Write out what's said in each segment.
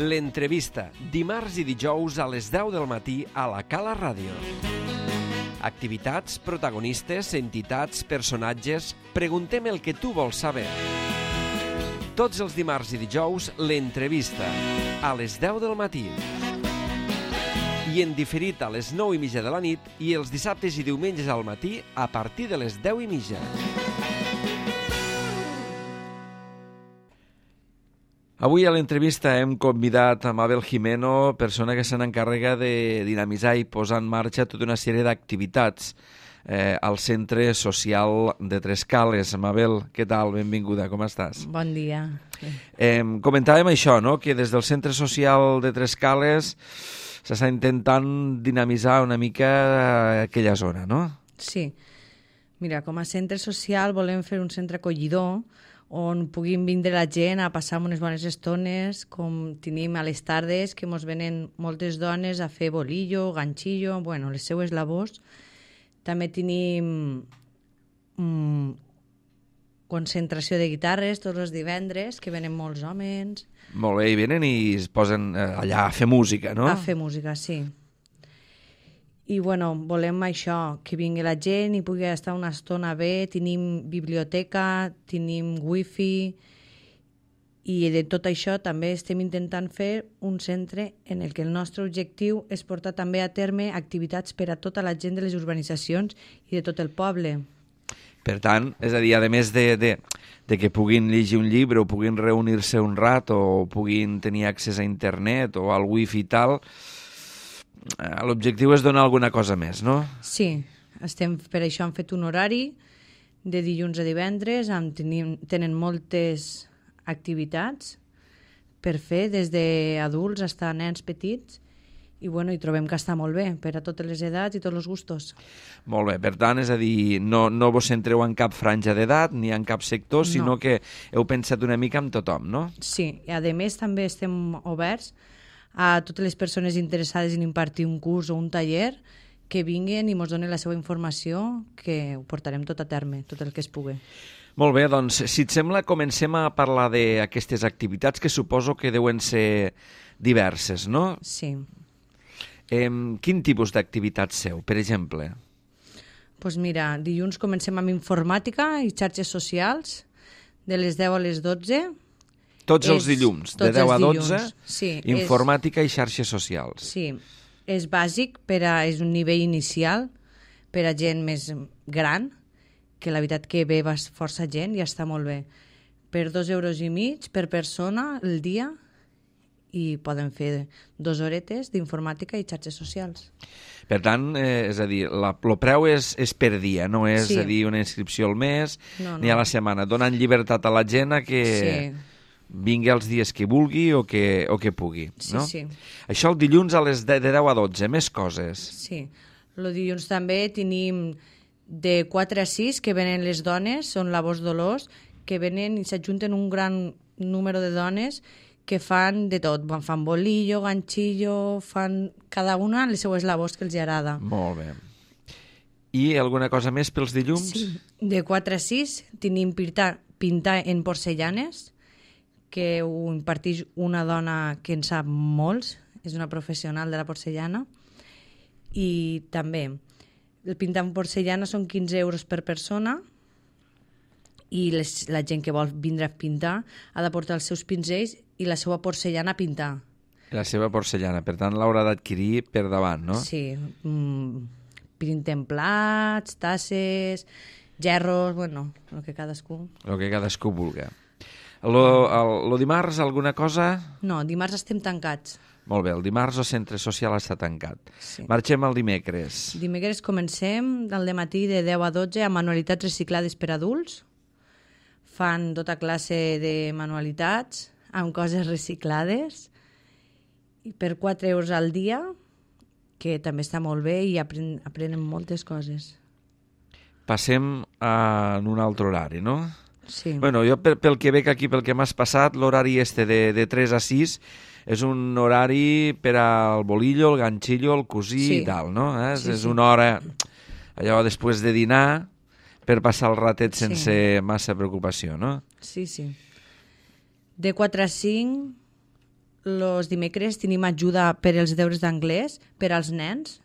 L'entrevista, dimarts i dijous a les 10 del matí a la Cala Ràdio. Activitats, protagonistes, entitats, personatges... Preguntem el que tu vols saber. Tots els dimarts i dijous, l'entrevista, a les 10 del matí. I en diferit a les 9:30 de la nit i els dissabtes i diumenges al matí a partir de les 10:30. Avui a l'entrevista hem convidat a Mabel Jimeno, persona que se n'encarrega de dinamitzar i posar en marxa tota una sèrie d'activitats al Centre Social de Trescales. Mabel, què tal? Benvinguda, com estàs? Bon dia. Comentàvem això, no?, que des del Centre Social de Trescales s'està intentant dinamitzar una mica aquella zona, no? Sí. Mira, com a centre social volem fer un centre acollidor on puguin vindre la gent a passar unes bones estones, com tenim a les tardes, que mos venen moltes dones a fer bolillo, ganxillo, bueno, les seues labors. També tenim concentració de guitarres tots els divendres, que venen molts homes. Molt bé, i venen i es posen allà a fer música, no? A fer música, sí. I, bueno, volem això, que vingui la gent i pugui estar una estona bé. Tenim biblioteca, tenim wifi, i de tot això també estem intentant fer un centre en el que el nostre objectiu és portar també a terme activitats per a tota la gent de les urbanitzacions i de tot el poble. Per tant, és a dir, a més de que puguin llegir un llibre o puguin reunir-se un rat o puguin tenir accés a internet o al wifi i tal, l'objectiu és donar alguna cosa més, no? Sí, per això hem fet un horari de dilluns a divendres, tenen moltes activitats per fer, des d'adults fins a nens petits, i bueno, hi trobem que està molt bé per a totes les edats i tots els gustos. Molt bé, per tant, és a dir, no vos centreu en cap franja d'edat ni en cap sector, sinó que heu pensat una mica en tothom, no? Sí, i a més també estem oberts a totes les persones interessades en impartir un curs o un taller que vinguin i ens donen la seva informació, que ho portarem tot a terme, tot el que es pugui. Molt bé, doncs, si et sembla, comencem a parlar d'aquestes activitats que suposo que deuen ser diverses, no? Sí. Quin tipus d'activitats seu, per exemple? Doncs mira, dilluns comencem amb informàtica i xarxes socials, de les 10 a les 12. Tots els dilluns, de 10 a 12, sí, informàtica i xarxes socials. Sí, és bàsic, és un nivell inicial per a gent més gran, que la veritat que ve força gent i està molt bé. Per 2,5 euros per persona el dia, i poden fer 2 horetes d'informàtica i xarxes socials. Per tant, és a dir, el preu és per dia, no és a dir una inscripció al mes ni a la setmana, donant llibertat a la gent a que vingui els dies que vulgui o que pugui. No? Sí. Això el dilluns a les de 10 a 12, més coses. Sí, el dilluns també tenim de 4 a 6 que venen les dones, són labors dolors, que venen i s'ajunten un gran número de dones que fan de tot, fan bolillo, ganxillo, fan cada una les seues labors que els agrada. Molt bé. I alguna cosa més pels dilluns? Sí, de 4 a 6 tenim pintar en porcellanes, que ho imparteix una dona que en sap molts, és una professional de la porcellana, i també el pintar en porcellana són 15 euros per persona, i la gent que vol vindre a pintar ha de portar els seus pinzells i la seva porcellana a pintar. La seva porcellana, per tant l'haurà d'adquirir per davant, no? Sí, pinten plats, tasses, gerros, bueno, el que cadascú... El que cadascú vulgui. El dimarts alguna cosa? No, dimarts estem tancats. Molt bé, el dimarts el centre social està tancat. Sí. Marxem al dimecres. Dimecres comencem al dematí de 10 a 12 amb manualitats reciclades per adults. Fan tota classe de manualitats amb coses reciclades i per 4 euros al dia, que també està molt bé i aprenen moltes coses. Passem a un altre horari, no? Sí. Bueno, jo pel que veig aquí, pel que m'has passat, l'horari de 3 a 6 és un horari per al bolillo, el ganxillo, el cosí i tal, no? És una hora, allò després de dinar, per passar el ratet sense massa preocupació, no? Sí. De 4 a 5 els dimecres tenim ajuda per als deures d'anglès per als nens.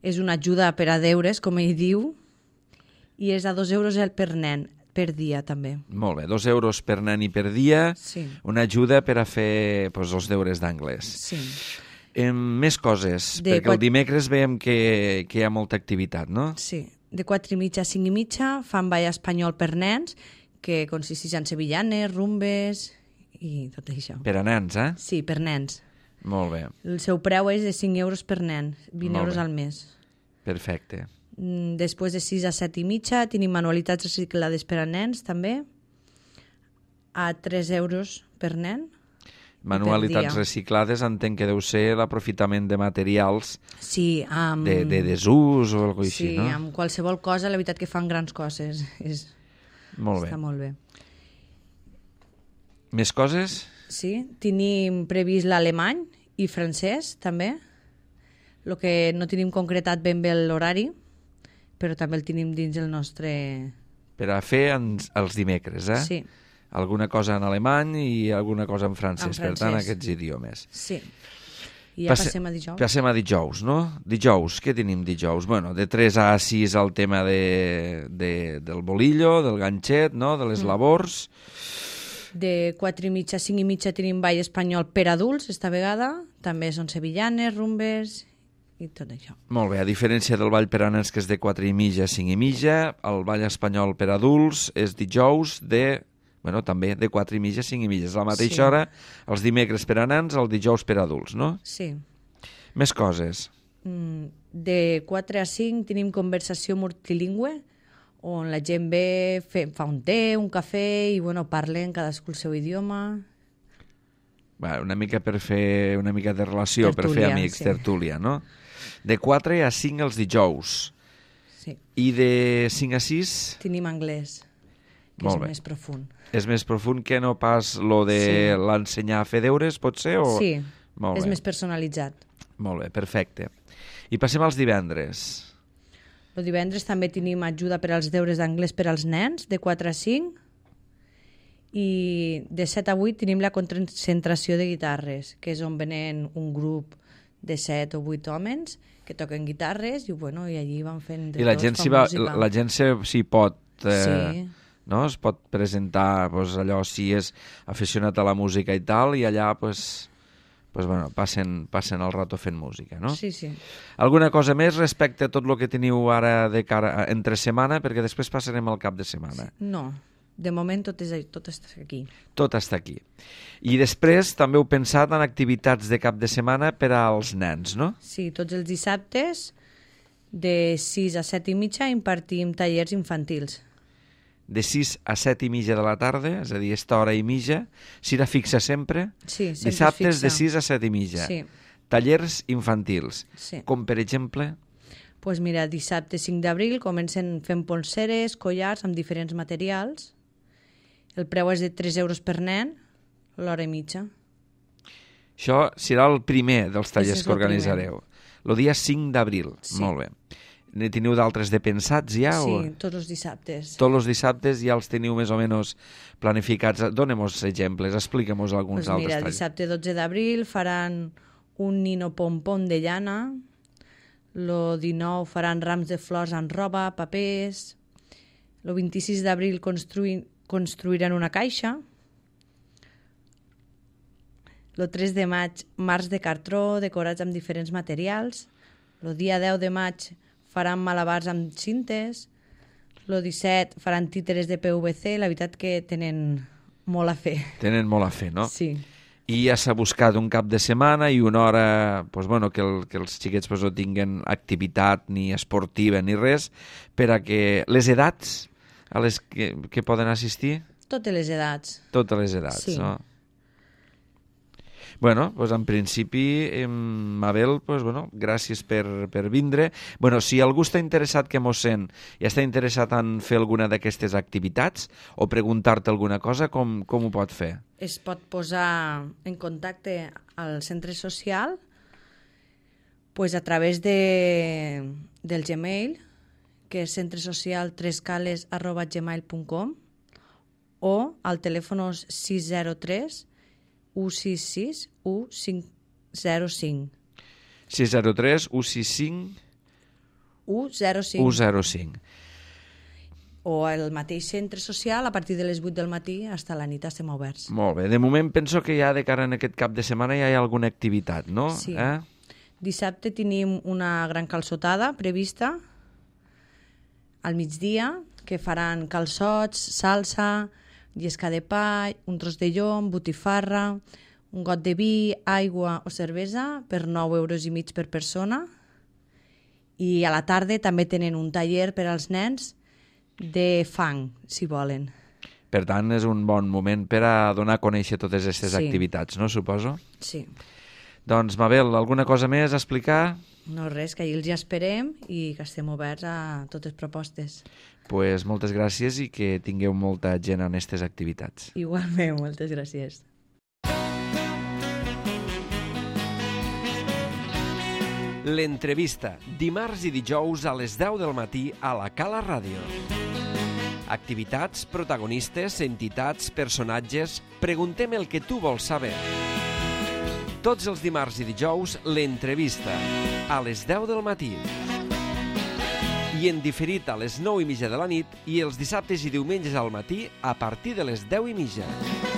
És una ajuda per a deures, com ell diu, i és a 2 euros per nen, per dia també. Molt bé, 2 euros per nen i per dia, Sí. una ajuda per a fer els deures d'anglès. Sí. Més coses, perquè el dimecres veiem que hi ha molta activitat, no? Sí. De 4:30 a 5:30 fan ball espanyol per nens, que consisteix en sevillanes, rumbes i tot això. Per a nens, eh? Sí, per nens. Molt bé, El seu preu és de 5 euros per nen, 20 Molt euros bé. al mes. perfecte. Després de 6 a 7:30 tenim manualitats reciclades per a nens també, a 3 euros per nen. Manualitats dia. reciclades entenc que deu ser l'aprofitament de materials Sí, amb... de desús o alguna cosa sí, així, no? amb qualsevol cosa, la veritat que fan grans coses. Molt bé. Està molt bé. Més coses? Sí, tenim previst l'alemany i francès també. El que no tenim concretat ben bé l'horari, però també el tenim dins el nostre... Per a fer els dimecres, eh? Sí, Alguna cosa en alemany i alguna cosa en francès. En Per tant, francès. aquests idiomes. sí. I ja passem a dijous. Passem a dijous, no? Dijous, què tenim dijous? Bueno, de 3 a 6 el tema del bolillo, del ganxet, no? De les labors. De 4:30 a 5:30 tenim ball espanyol per adults, esta vegada. També són sevillanes, rumbes i tot això. Molt bé, a diferència del ball per a nens que és de 4:30 a 5:30, el ball espanyol per adults és dijous també de 4:30 a 5:30. És la mateixa Sí. hora, els dimecres per a nens, el dijous per a adults, no? Sí. Més coses. De 4 a 5 tenim conversació multilingüe, on la gent ve, fa un té, un cafè i parlen cadascú el seu idioma. Una mica per fer una mica de relació, per fer Tertúlia, amics, sí. tertúlia, no? De 4 a 5 els dijous. Sí. I de 5 a 6 Tenim anglès, que Molt és bé. més profund. és més profund que no pas lo de Sí. l'ensenyar a fer deures, pot ser? O... Sí, Molt és bé. més personalitzat. Molt bé, perfecte. I passem als divendres. El divendres també tenim ajuda per als deures d'anglès per als nens, de 4 a 5, i de 7 a 8 tenim la concentració de guitarres, que és on venen un grup de 7 o 8 homes que toquen guitarres i allí van fent de I la tot, gent fan s'hi va, música. la gent s'hi pot... Sí. No? Es pot presentar allò si és aficionat a la música i tal, i allà passen el rato fent música, no? Sí, sí. Alguna cosa més respecte a tot el que teniu ara de cara entre setmana, perquè després passarem al cap de setmana. No, de moment tot està aquí. Tot està aquí. I després també heu pensat en activitats de cap de setmana per als nens, no? Sí, tots els dissabtes de 6 a 7:30 impartim tallers infantils. De 6 a 7:30 de la tarda, és a dir, esta hora i mitja, serà fixa sempre? Sí, sempre Dissabtes és de fixa. 6 a 7:30. Sí. Tallers infantils. Sí. Com, per exemple? Pues mira, dissabte 5 d'abril comencen fent polseres, collars amb diferents materials. El preu és de 3 euros per nen, l'hora i mitja. Això serà el primer dels tallers és que el primer. organitzareu. El dia 5 d'abril. Sí. Molt bé. Ne teniu d'altres de pensats ja? Sí, O... tots els dissabtes. Tots els dissabtes ja els teniu més o menys planificats. Dónem-nos exemples, expliquem-nos alguns Pues altres mira, tallers. dissabte 12 d'abril faran un nino pompon de llana, el 19 faran rams de flors en roba, papers, el 26 d'abril construiran una caixa, el 3 de maig marcs de cartró decorats amb diferents materials, el dia 10 de maig faran malabars amb cintes, el 17 faran títeres de PVC, la veritat que tenen molt a fer. Tenen molt a fer, no? Sí. I ja s'ha buscat un cap de setmana i una hora que els xiquets no tinguen activitat ni esportiva ni res, per a que les edats a les que poden assistir, Totes les edats. totes les edats, Sí. no? Bueno, en principi, Mabel, gràcies per vindre. Si algú està interessat que mos sent i està interessat en fer alguna d'aquestes activitats o preguntar-te alguna cosa, com ho pot fer? Es pot posar en contacte al centre social a través del Gmail, que és centresocial3cales@gmail.com, o al telèfon 603 166 1505. 603 165 105. 105. O el mateix centre social, a partir de les 8 del matí fins a la nit estem oberts. Molt bé. De moment penso que ja de cara en aquest cap de setmana ja hi ha alguna activitat, no? Sí. Dissabte tenim una gran calçotada prevista al migdia, que faran calçots, salsa, llesca de pa, un tros de llom, botifarra, un got de vi, aigua o cervesa per 9,5 € per persona. I a la tarda també tenen un taller per als nens de fang, si volen. Per tant, és un bon moment per a donar a conèixer totes aquestes Sí. activitats, no? Suposo. Sí. Doncs, Mabel, alguna cosa més a explicar? No res, que ahir els hi esperem i que estem oberts a totes propostes. Pues moltes gràcies i que tingueu molta gent en aquestes activitats. Igualment, moltes gràcies. L'entrevista, dimarts i dijous a les 10 del matí a la Cala Ràdio. Activitats, protagonistes, entitats, personatges... Preguntem el que tu vols saber. Tots els dimarts i dijous, l'entrevista, a les 10 del matí. I en diferit a les 9:30 de la nit i els dissabtes i diumenges al matí a partir de les 10:30.